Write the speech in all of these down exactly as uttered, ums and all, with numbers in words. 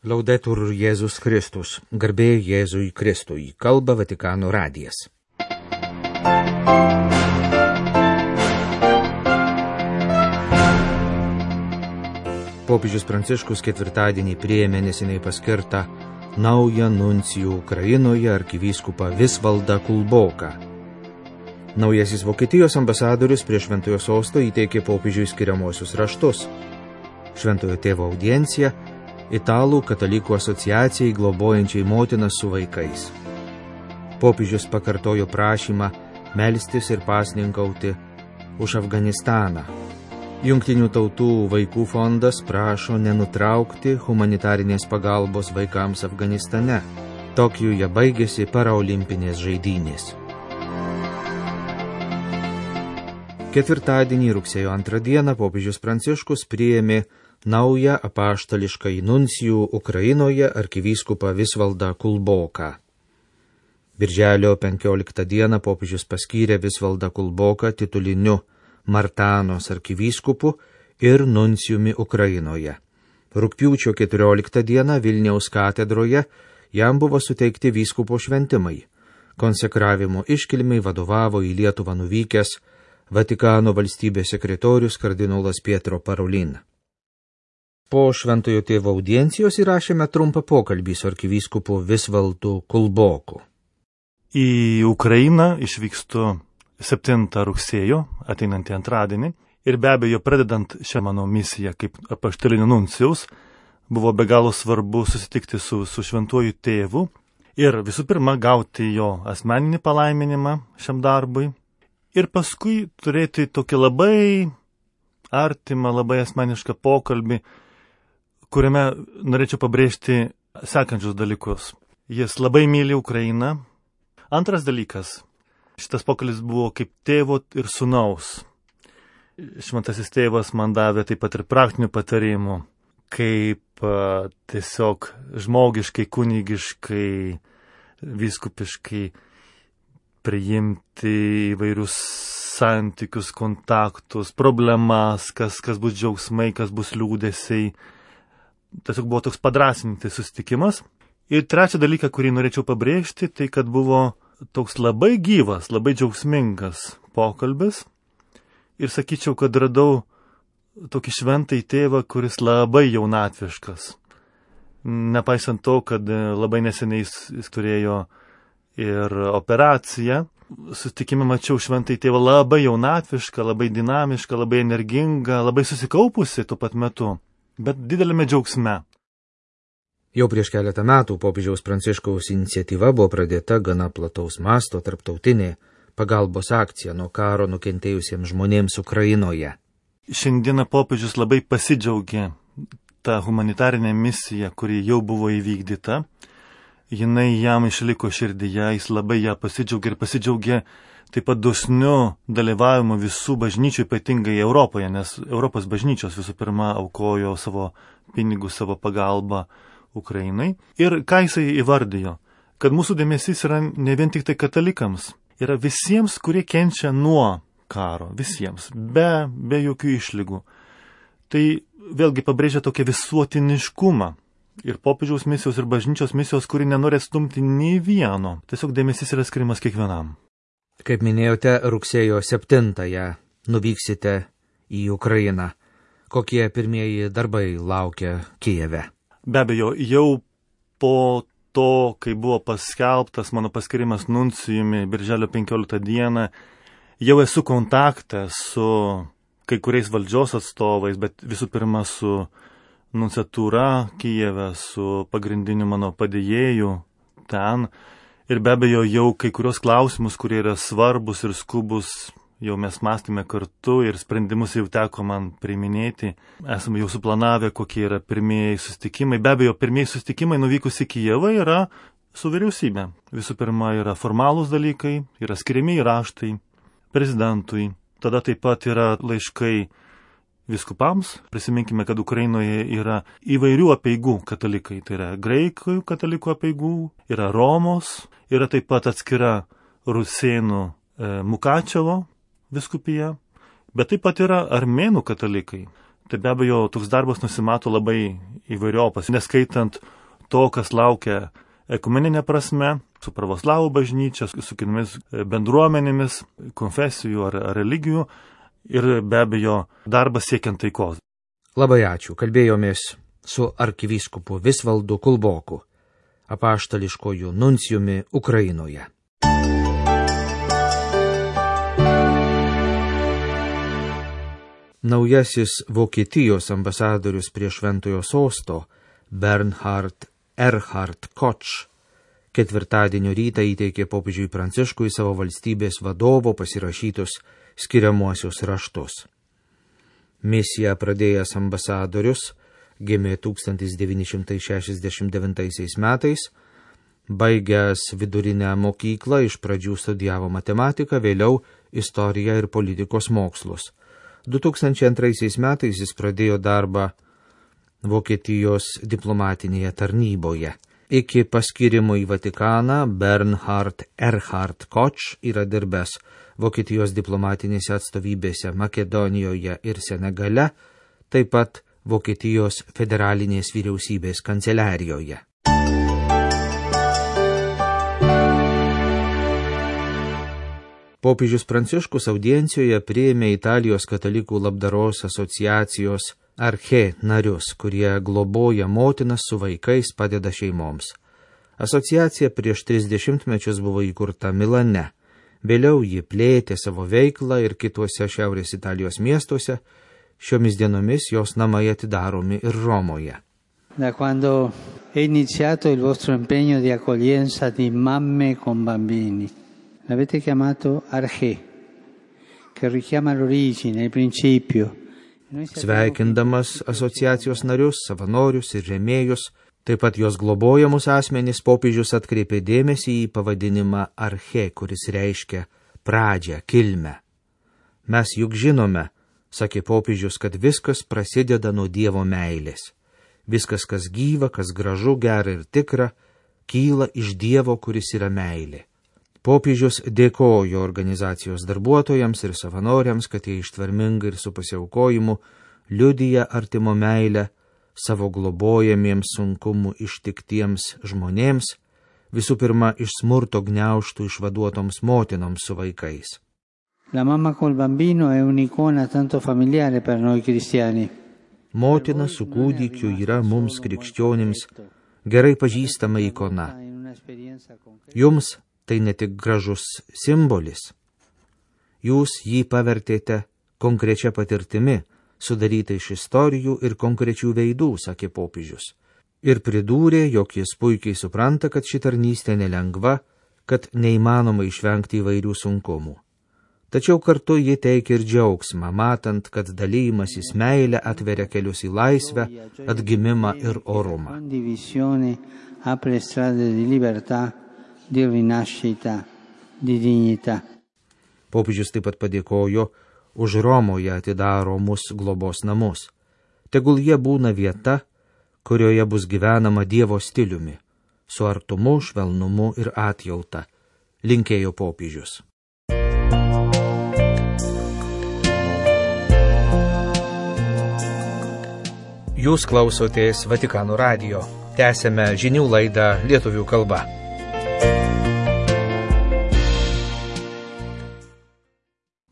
Laudetur Jėzus Kristus, garbė Jėzui Kristui, kalba Vatikano radijas. Popiežius Pranciškus ketvirtadienį priėmė neseniai paskirtą naują nuncijų Ukrainoje arkivyskupą Visvaldą Kulboką. Naujasis Vokietijos ambasadorius prie Šventojo sosto įteikė popiežiui skiriamuosius raštus. Šventojo tėvo audiencija Italų katalikų asociacijai globojančiai motinas su vaikais. Popiežius pakartojo prašymą melstis ir pasninkauti už Afganistaną. Jungtinių tautų vaikų fondas prašo nenutraukti humanitarinės pagalbos vaikams Afganistane. Tokijuje baigėsi paraolimpinės žaidynės. Ketvirtadienį rugsėjo antrą dieną popiežius Pranciškus priėmė naują apaštališkąjį nuncijų Ukrainoje arkivyskupą Visvaldą Kulboką. Birželio penkioliktą dieną popiežius paskyrė Visvaldą Kulboką tituliniu Martanos arkivyskupu ir nuncijumi Ukrainoje. Rugpjūčio keturioliktą dieną Vilniaus katedroje jam buvo suteikti vyskupo šventimai. Konsekravimo iškilmei vadovavo į Lietuvą nuvykęs Vatikano valstybės sekretorius kardinolas Pietro Parolin. Po Šventojo tėvo audiencijos įrašėme trumpą pokalbį su arkivyskupu Visvaldu Kulboku. Į Ukrainą išvykstu septintą rugsėjo, ateinantį antradienį, ir be abejo, pradedant šią mano misiją kaip apaštalinio nuncijaus, buvo be galo svarbu susitikti su, su Šventuoju tėvu ir visų pirma gauti jo asmeninį palaiminimą šiam darbui ir paskui turėti tokį labai artimą, labai asmenišką pokalbį, kuriame norėčiau pabrėžti sekančius dalykus. Jis labai myli Ukrainą. Antras dalykas, šitas pokalbis buvo kaip tėvo ir sūnaus. Šventasis tėvas man davė taip pat ir praktinių patarimų, kaip a, tiesiog žmogiškai, kunigiškai, vyskupiškai priimti įvairius santykius, kontaktus, problemas, kas, kas bus džiaugsmai, kas bus liūdesiai. Tiesiog buvo toks padrasintis susitikimas. Ir trečią dalyką, kurį norėčiau pabrėžti, tai kad buvo toks labai gyvas, labai džiaugsmingas pokalbis. Ir sakyčiau, kad radau tokį šventąjį tėvą, kuris labai jaunatviškas. Nepaisant to, kad labai neseniai jis, jis turėjo ir operaciją, susitikime mačiau šventąjį tėvą labai jaunatvišką, labai dinamišką, labai energingą, labai susikaupusi tuo pat metu, bet didelėme džiaugsme. Jau prieš keletą metų popiežiaus Pranciškaus iniciatyva buvo pradėta gana plataus masto tarptautinė pagalbos akcija nuo karo nukentėjusiems žmonėms Ukrainoje. Šiandieną popiežius labai pasidžiaugė tą humanitarinę misiją, kuri jau buvo įvykdyta. Jinai jam išliko širdyje, jis labai ją pasidžiaugė ir pasidžiaugė taip pat dosniu dalyvavimu visų bažnyčių, ypatingai Europoje, nes Europos bažnyčios visų pirma aukojo savo pinigus, savo pagalbą Ukrainai. Ir ką jisai įvardijo? Kad mūsų dėmesys yra ne vien tik tai katalikams, yra visiems, kurie kenčia nuo karo, visiems, be, be jokių išlygų. Tai vėlgi pabrėžia tokią visuotiniškumą. Ir popiežiaus misijos, ir bažnyčios misijos, kuri nenori atstumti nei vieno. Tiesiog dėmesys yra skiriamas kiekvienam. Kaip minėjote, rugsėjo septintąją nuvyksite į Ukrainą. Kokie pirmieji darbai laukia Kijeve? Be abejo, jau po to, kai buvo paskelbtas mano paskirimas nuncijumi birželio penkioliktą dieną, jau esu kontakte su kai kuriais valdžios atstovais, bet visų pirma su nunciatūra Kijeve, su pagrindiniu mano padėjėju ten. Ir be abejo, jau kai kurios klausimus, kurie yra svarbus ir skubus, jau mes mąstėme kartu ir sprendimus jau teko man priiminėti. Esame jau suplanavę, kokie yra pirmieji susitikimai. Be abejo, pirmieji susitikimai nuvykus į Kijevą yra su vyriausybė. Visų pirma, yra formalūs dalykai, yra skiriami raštai prezidentui. Tada taip pat yra laiškai viskupams. Prisiminkime, kad Ukrainoje yra įvairių apeigų katalikai. Tai yra graikų katalikų apeigų, yra Romos, yra taip pat atskira rusėnų e, Mukačevo viskupija, bet taip pat yra armėnų katalikai. Tai be abejo, toks darbas nusimato labai įvairiopas, neskaitant to, kas laukia ekumeninė prasme, su pravoslavų bažnyčia, su kitomis bendruomenėmis, konfesijų ar, ar religijų ir be abejo darbas siekiant taikos. Labai ačiū. Kalbėjomės su arkivyskupu Visvaldu Kulboku, apaštališkojų nuncijumi Ukrainoje. Naujasis Vokietijos ambasadorius prie Šventojo sosto Bernhard Erhard Koch ketvirtadienio rytą įteikė popiežiui Pranciškui savo valstybės vadovo pasirašytus skiriamuosius raštus. Misiją pradėjęs ambasadorius gimė tūkstantis devyni šimtai šešiasdešimt devintaisiais metais, baigęs vidurinę mokyklą iš pradžių studijavo matematiką, vėliau istoriją ir politikos mokslus. du tūkstančiai antraisiais metais jis pradėjo darbą Vokietijos diplomatinėje tarnyboje. Iki paskirimo į Vatikaną Bernhard Erhard Koch yra dirbęs Vokietijos diplomatinėse atstovybėse Makedonijoje ir Senegale, taip pat Vokietijos federalinės vyriausybės kanceliarijoje. Popiežius Pranciškus audiencijoje priėmė Italijos katalikų labdaros asociacijos Arche narius, kurie globoja motinas su vaikais, padeda šeimoms. Asociacija prieš tris dešimtmečius buvo įkurta Milane. Vėliau ji plėtė savo veiklą ir kituose Šiaurės Italijos miestuose. Šiomis dienomis jos namai atidaromi ir Romoje. Da quando è iniziato il vostro impegno di accoglienza di mamme con bambini, l'avete chiamato Arche, che richiama l'origine, il principio. Sveikindamas asociacijos narius, savanorius ir rėmėjus, taip pat jos globojamus asmenys, popiežius atkreipė dėmesį į pavadinimą Arche, kuris reiškia pradžią, kilmę. Mes juk žinome, sakė popiežius, kad viskas prasideda nuo Dievo meilės. Viskas, kas gyva, kas gražu, gera ir tikra, kyla iš Dievo, kuris yra meilė. Popiežius dėkojo organizacijos darbuotojams ir savanoriams, kad jie ištvermingai ir su pasiaukojimu liudija artimo meilę savo globojamiems sunkumų ištiktiems žmonėms, visų pirma iš smurto gniaužtų išvaduotoms motinoms su vaikais. La mamma col bambino è un'icona tanto familiare per noi cristiani. Motina su kūdikiu yra mums krikščionims gerai pažįstama ikona. Jums tai ne tik gražus simbolis. Jūs jį pavertėte konkrečia patirtimi, sudaryta iš istorijų ir konkrečių veidų, sakė popiežius. Ir pridūrė, jog jis puikiai supranta, kad ši tarnystė nelengva, kad neįmanoma išvengti įvairių sunkumų. Tačiau kartu ji teikia ir džiaugsmą, matant, kad dalymasis meilė atveria kelius į laisvę, atgimimą ir orumą. Di rinascita, di dignità. Popiežius taip pat padėkojo už Romoje atidaromus globos namus. Tegul jie būna vieta, kurioje bus gyvenama Dievo stiliumi, su artumu, švelnumu ir atjauta, linkėjo popiežius. Jūs klausotės Vatikano radijo. Tęsėme žinių laidą lietuvių kalba.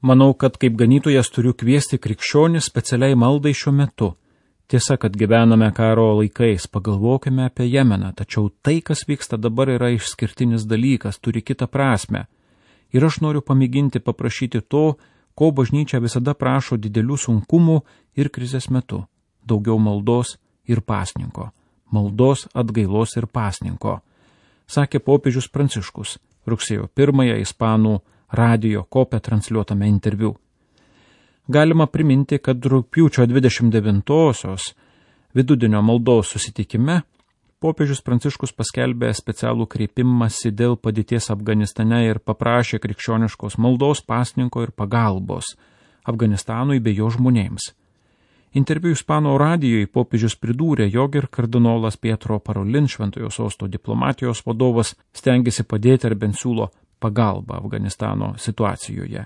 Manau, kad kaip ganytojas turiu kviesti krikščionis specialiai maldai šiuo metu. Tiesa, kad gyvename karo laikais, pagalvokime apie Jemeną, tačiau tai, kas vyksta dabar, yra išskirtinis dalykas, turi kitą prasmę. Ir aš noriu pamėginti paprašyti to, ko bažnyčia visada prašo didelių sunkumų ir krizės metu – daugiau maldos ir pasninko. Maldos, atgailos ir pasninko. Sakė popiežius Pranciškus rugsėjo pirmąją ispanų radijo kopę transliuotame interviu. Galima priminti, kad rugpjūčio dvidešimt devintosios vidudienio maldos susitikime popiežius Pranciškus paskelbė specialų kreipimąsi dėl padėties Afganistane ir paprašė krikščioniškos maldos, pasninko ir pagalbos Afganistanui bei jo žmonėms. Interviu ispanų radijui popiežius pridūrė, jog ir kardinolas Pietro Parolin, Šventojo sosto diplomatijos vadovas, stengiasi padėti ar bent siūlo pagalbą Afganistano situacijoje.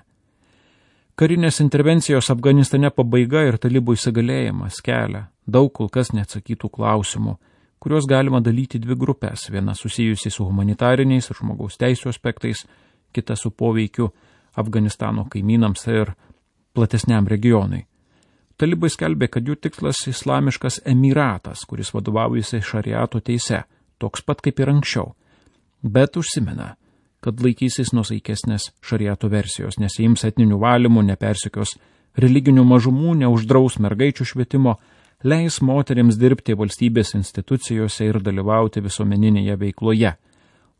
Karinės intervencijos Afganistane pabaiga ir talibų įsigalėjimas kelia daug kol kas neatsakytų klausimų, kuriuos galima dalyti dvi grupės, viena susijusi su humanitariniais ir žmogaus teisų aspektais, kita su poveikiu Afganistano kaimynams ir platesniam regionui. Talibai skelbė, kad jų tikslas islamiškas emiratas, kuris vadovaujasi šariato teise, toks pat kaip ir anksčiau, bet užsimena, kad laikysis nusaikesnės šariato versijos, nesiims etninių valymų, nepersekios religinių mažumų, neuždraus mergaičių švietimo, leis moteriams dirbti valstybės institucijose ir dalyvauti visuomeninėje veikloje.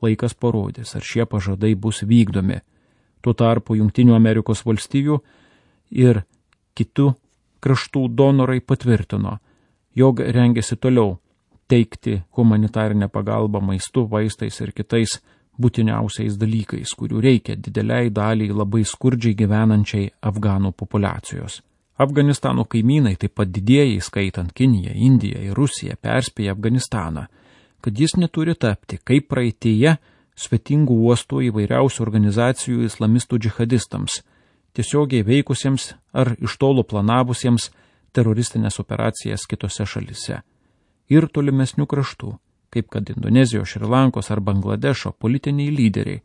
Laikas parodys, ar šie pažadai bus vykdomi. Tuo tarpu Jungtinių Amerikos valstijų ir kitų kraštų donorai patvirtino, jog rengiasi toliau teikti humanitarinę pagalbą maistu, vaistais ir kitais būtiniausiais dalykais, kurių reikia dideliai daliai labai skurdžiai gyvenančiai afganų populiacijos. Afganistano kaimynai, taip pat didieji, skaitant Kiniją, Indiją ir Rusiją, perspėja Afganistaną, kad jis neturi tapti, kaip praeitėje, svetingų uostų įvairiausių organizacijų islamistų džihadistams, tiesiogiai veikusiems ar iš tolo planavusiems teroristinės operacijas kitose šalise. Ir tolimesnių kraštų, kaip kad Indonezijos, Šrilankos ar Bangladešo politiniai lyderiai,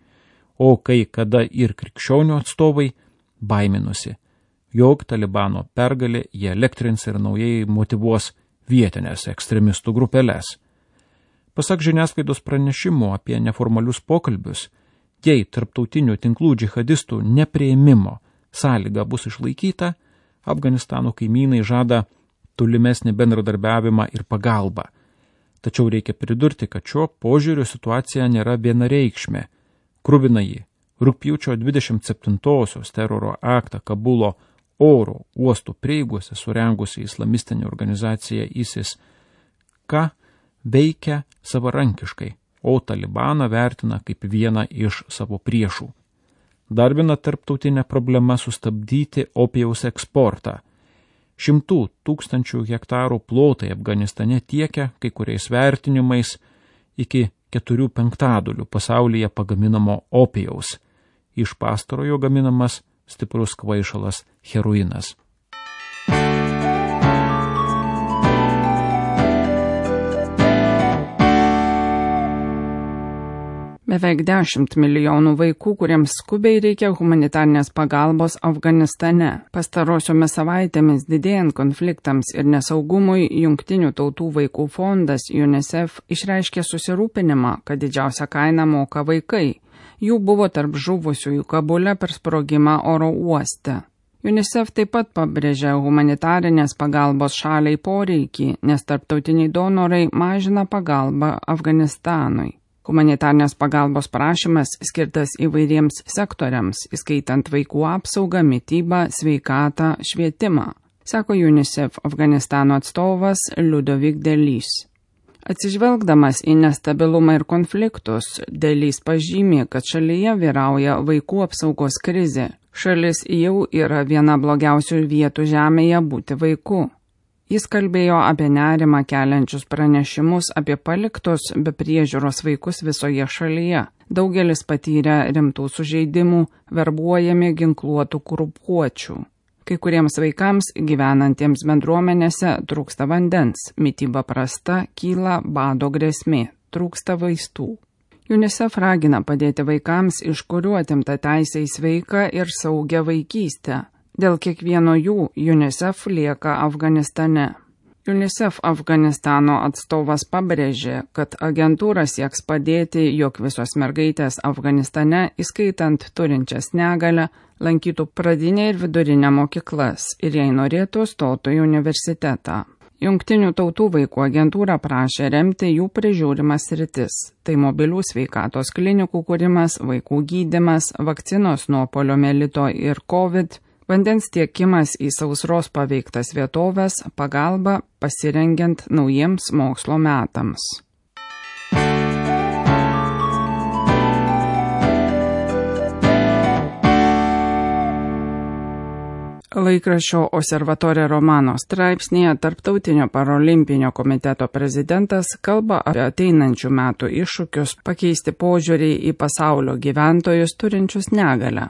o kai kada ir krikščionių atstovai baiminosi, jog Talibano pergalė jie elektrins ir naujai motyvuos vietinės ekstremistų grupelės. Pasak žiniasklaidos pranešimų apie neformalius pokalbius, jei tarptautinių tinklų džihadistų nepriėmimo sąlyga bus išlaikyta, Afganistano kaimynai žada tolimesnį bendradarbiavimą ir pagalbą. Tačiau reikia pridurti, kad šio požiūrio situacija nėra vienareikšmė. Kruvinąjį rugpjūčio dvidešimt septintosios teroro aktą Kabulo oro uostų prieigose surengusi islamistinė organizacija ISIS, ką veikia savarankiškai, o Talibaną vertina kaip vieną iš savo priešų. Dar viena tarptautinė problema sustabdyti opijaus eksportą. Šimtų tūkstančių hektarų plotai Afganistane tiekia kai kuriais vertinimais iki keturių penktadalių pasaulyje pagaminamo opijaus. Iš pastarojo gaminamas stiprus kvaišalas heroinas. Beveik dešimt milijonų vaikų, kuriems skubiai reikia humanitarnės pagalbos Afganistane. Pastarosiomis savaitėmis didėjant konfliktams ir nesaugumui, Jungtinių tautų vaikų fondas UNICEF išreiškė susirūpinimą, kad didžiausią kainą moka vaikai. Jų buvo tarp žuvusiųjų Kabule per sprogimą oro uoste. UNICEF taip pat pabrėžė humanitarinės pagalbos šaliai poreikį, nes tarptautiniai donorai mažina pagalbą Afganistanui. Humanitarnės pagalbos prašymas skirtas įvairiems sektoriams, įskaitant vaikų apsaugą, mitybą, sveikatą, švietimą, sako UNICEF Afganistano atstovas Ludovic Delis. Atsižvelgdamas į nestabilumą ir konfliktus, Delis pažymė, kad šalyje vyrauja vaikų apsaugos krizė. Šalis jau yra viena blogiausių vietų žemėje būti vaiku. Jis kalbėjo apie nerimą keliančius pranešimus apie paliktus be priežiūros vaikus visoje šalyje. Daugelis patyrė rimtų sužeidimų, verbuojami ginkluotų grupuočių. Kai kuriems vaikams gyvenantiems bendruomenėse trūksta vandens, mityba prasta, kyla bado grėsmė, trūksta vaistų. UNICEF ragina padėti vaikams, iš kurių atimta teisė į sveiką ir saugią vaikystę. Dėl kiekvieno jų UNICEF lieka Afganistane. UNICEF Afganistano atstovas pabrėžė, kad agentūra sieks padėti, jog visos mergaitės Afganistane, įskaitant turinčias negalią, lankytų pradinę ir vidurinę mokyklas ir jei norėtų stotų į universitetą. Jungtinių tautų vaikų agentūra prašė remti jų prižiūrimas sritis. Tai mobilių sveikatos klinikų kūrimas, vaikų gydymas, vakcinos nuo poliomielito ir COVID, vandens tiekimas į sausros paveiktas vietovės, pagalba pasirengiant naujiems mokslo metams. Laikraščio Osservatore Romano straipsnėje Tarptautinio parolimpinio komiteto prezidentas kalba apie ateinančių metų iššūkius pakeisti požiūrį į pasaulio gyventojus turinčius negalią.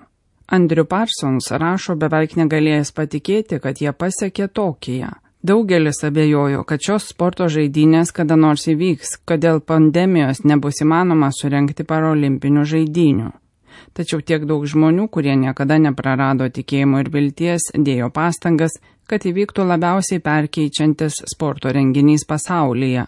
Andrew Parsons rašo beveik negalėjęs patikėti, kad jie pasiekė Tokiją. Daugelis abejojo, kad šios sporto žaidynės kada nors įvyks, kad dėl pandemijos nebus įmanoma surengti parolimpinių žaidynių. Tačiau tiek daug žmonių, kurie niekada neprarado tikėjimo ir vilties, dėjo pastangas, kad įvyktų labiausiai perkeičiantis sporto renginys pasaulyje.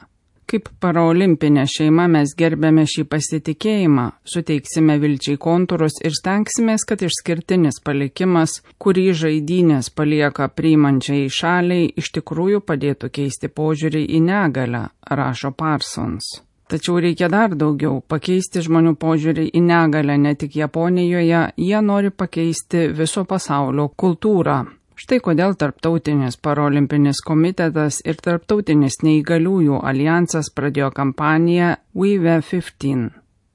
Kaip paraolimpinė šeima mes gerbėme šį pasitikėjimą, suteiksime vilčiai kontūrus ir stengsimės, kad išskirtinis palikimas, kurį žaidynės palieka priimančiai šaliai, iš tikrųjų padėtų keisti požiūrį į negalią, rašo Parsons. Tačiau reikia dar daugiau – pakeisti žmonių požiūrį į negalią ne tik Japonijoje, jie nori pakeisti viso pasaulio kultūrą. Štai kodėl Tarptautinis parolimpinis komitetas ir Tarptautinis neįgaliųjų alijansas pradėjo kampaniją We Were fifteen.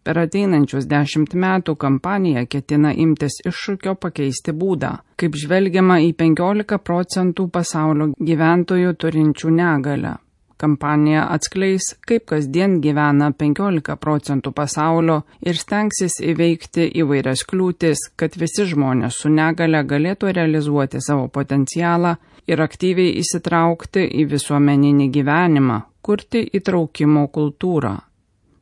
Per ateinančius dešimt metų kampanija ketina imtis iššūkio pakeisti būdą, kaip žvelgiama į penkiolika procentų pasaulio gyventojų turinčių negalią. Kampanija atskleis, kaip kasdien gyvena penkiolika procentų pasaulio ir stengsis įveikti įvairias kliūtis, kad visi žmonės su negale galėtų realizuoti savo potencialą ir aktyviai įsitraukti į visuomeninį gyvenimą, kurti įtraukimo kultūrą.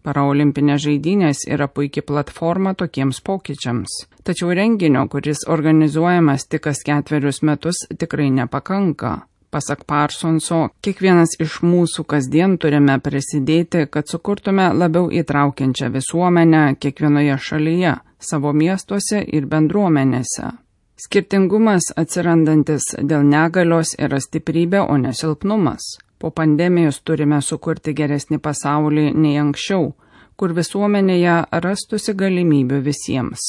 Paraolimpinės žaidynės yra puikia platforma tokiems pokyčiams. Tačiau renginio, kuris organizuojamas tik kas ketverius metus, tikrai nepakanka. Pasak Parsonso, kiekvienas iš mūsų kasdien turime prisidėti, kad sukurtume labiau įtraukiančią visuomenę kiekvienoje šalyje, savo miestuose ir bendruomenėse. Skirtingumas atsirandantis dėl negalios yra stiprybė, o ne silpnumas. Po pandemijos turime sukurti geresnį pasaulį nei anksčiau, kur visuomenėje rastųsi galimybių visiems.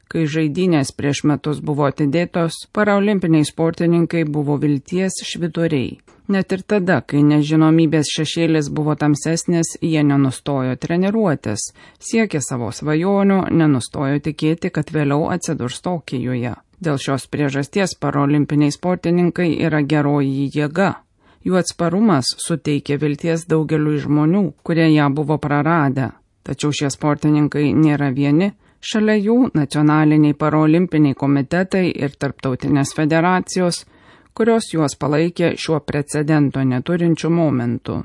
Kai žaidynės prieš metus buvo atidėtos, paraolimpiniai sportininkai buvo vilties švyturiai. Net ir tada, kai nežinomybės šešėlis buvo tamsesnis, jie nenustojo treniruotis, siekė savo svajonių, nenustojo tikėti, kad vėliau atsidurs Tokijoje. Dėl šios priežasties paraolimpiniai sportininkai yra geroji jėga. Jų atsparumas suteikė vilties daugeliui žmonių, kurie ją buvo praradę. Tačiau šie sportininkai nėra vieni. Šalia jų nacionaliniai paraolimpiniai komitetai ir tarptautinės federacijos, kurios juos palaikė šiuo precedento neturinčiu momentu.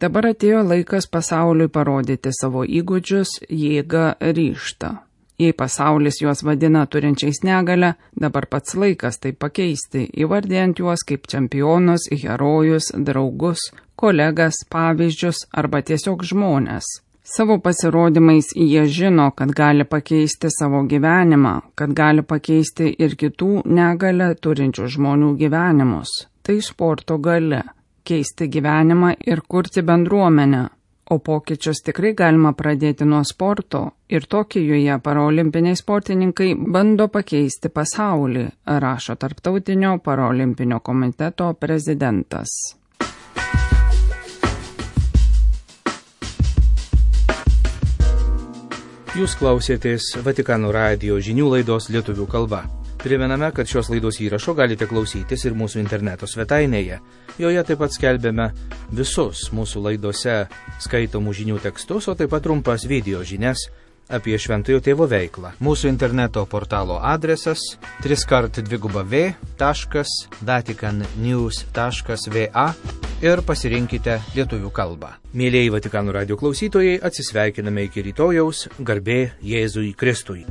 Dabar atėjo laikas pasauliui parodyti savo įgūdžius, jėgą, ryžtą. Jei pasaulis juos vadina turinčiais negalę, dabar pats laikas tai pakeisti, įvardijant juos kaip čempionus, herojus, draugus, kolegas, pavyzdžius arba tiesiog žmonės. Savo pasirodymais jie žino, kad gali pakeisti savo gyvenimą, kad gali pakeisti ir kitų negalę turinčių žmonių gyvenimus. Tai sporto galia – keisti gyvenimą ir kurti bendruomenę. O pokyčius tikrai galima pradėti nuo sporto ir Tokijoje paraolimpiniai sportininkai bando pakeisti pasaulį, rašo Tarptautinio paraolimpinio komiteto prezidentas. Jūs klausėtės Vatikano radijo žinių laidos lietuvių kalba. Primename, kad šios laidos įrašo galite klausytis ir mūsų interneto svetainėje. Joje taip pat skelbėme visus mūsų laidose skaitomų žinių tekstus, o taip pat trumpas video žinias apie Šventojo Tėvo veiklą. Mūsų interneto portalo adresas tris kart dviguba v taškas vatikan news taškas va ir pasirinkite lietuvių kalbą. Mėlieji Vatikano radijo klausytojai, atsisveikiname iki rytojaus, garbė Jėzui Kristui.